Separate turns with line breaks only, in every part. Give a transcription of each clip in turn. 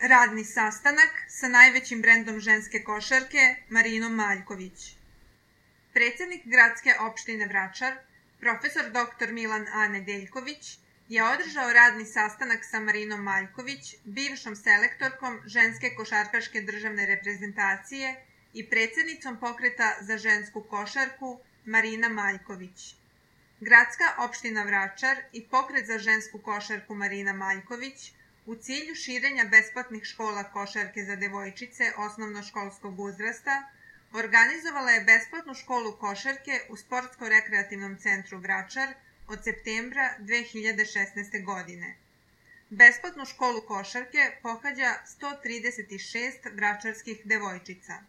Radni sastanak sa najvećim brendom ženske košarke Marinom Maljković. Predsjednik gradske opštine Vračar, profesor dr. Milan A. Nedeljković, je održao radni sastanak sa Marinom Maljković, bivšom selektorkom ženske košarkaške državne reprezentacije i predsjednicom pokreta za žensku košarku Marina Maljković. Gradska opština Vračar i pokret za žensku košarku Marina Maljković u cilju širenja besplatnih škola košarke za devojčice osnovnoškolskog uzrasta organizovala je besplatnu školu košarke u Sportsko-rekreativnom centru Vračar od septembra 2016. godine. Besplatnu školu košarke pohađa 136 vračarskih devojčica.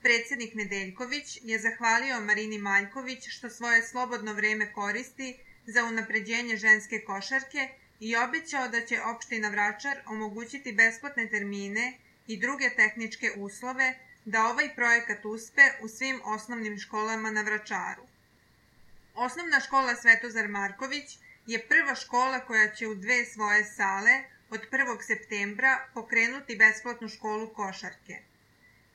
Predsjednik Nedeljković je zahvalio Marini Maljković što svoje slobodno vreme koristi za unapređenje ženske košarke i obećao da će opština Vračar omogućiti besplatne termine i druge tehničke uslove da ovaj projekat uspe u svim osnovnim školama na Vračaru. Osnovna škola Svetozar Marković je prva škola koja će u 2 svoje sale od 1. septembra pokrenuti besplatnu školu košarke.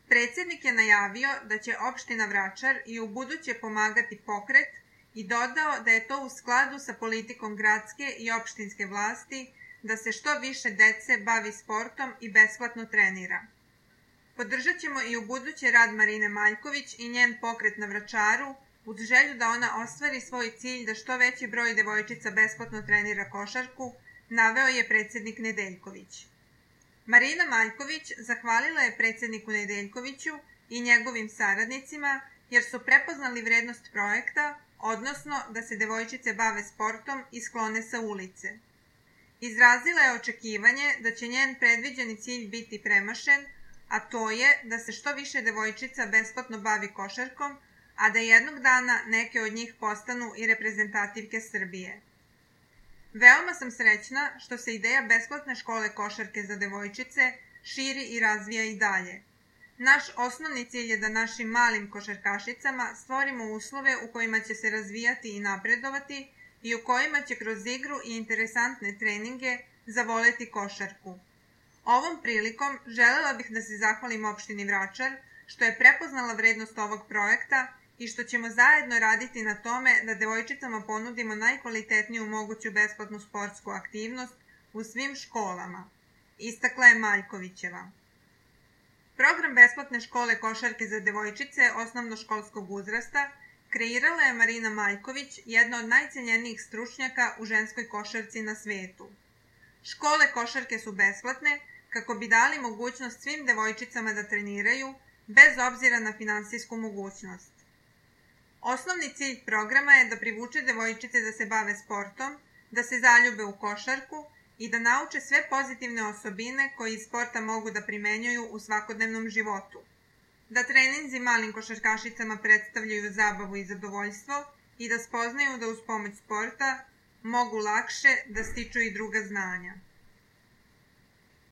Predsjednik je najavio da će opština Vračar i ubuduće pomagati pokret i dodao da je to u skladu sa politikom gradske i opštinske vlasti da se što više dece bavi sportom i besplatno trenira. Podržat ćemo i ubuduće rad Marine Maljković i njen pokret na Vračaru uz želju da ona ostvari svoj cilj da što veći broj devojčica besplatno trenira košarku, naveo je predsjednik Nedeljković. Marina Maljković zahvalila je predsjedniku Nedeljkoviću i njegovim saradnicima jer su prepoznali vrednost projekta, odnosno da se devojčice bave sportom i sklone sa ulice. Izrazila je očekivanje da će njen predviđeni cilj biti premašen, a to je da se što više devojčica besplatno bavi košarkom, a da jednog dana neke od njih postanu i reprezentativke Srbije. Veoma sam srećna što se ideja besplatne škole košarke za devojčice širi i razvija i dalje. Naš osnovni cilj je da našim malim košarkašicama stvorimo uslove u kojima će se razvijati i napredovati i u kojima će kroz igru i interesantne treninge zavoleti košarku. Ovom prilikom želela bih da se zahvalim opštini Vračar što je prepoznala vrednost ovog projekta i što ćemo zajedno raditi na tome da devojčicama ponudimo najkvalitetniju moguću besplatnu sportsku aktivnost u svim školama, istakla je Maljkovićeva. Program besplatne škole košarke za devojčice osnovnoškolskog uzrasta kreirala je Marina Maljković, jedna od najcenjenijih stručnjaka u ženskoj košarci na svetu. Škole košarke su besplatne kako bi dali mogućnost svim devojčicama da treniraju, bez obzira na finansijsku mogućnost. Osnovni cilj programa je da privuče devojčice da se bave sportom, da se zaljube u košarku i da nauče sve pozitivne osobine koje iz sporta mogu da primenjuju u svakodnevnom životu. Da treninzi malim košarkašicama predstavljaju zabavu i zadovoljstvo i da spoznaju da uz pomoć sporta mogu lakše da stiču i druga znanja.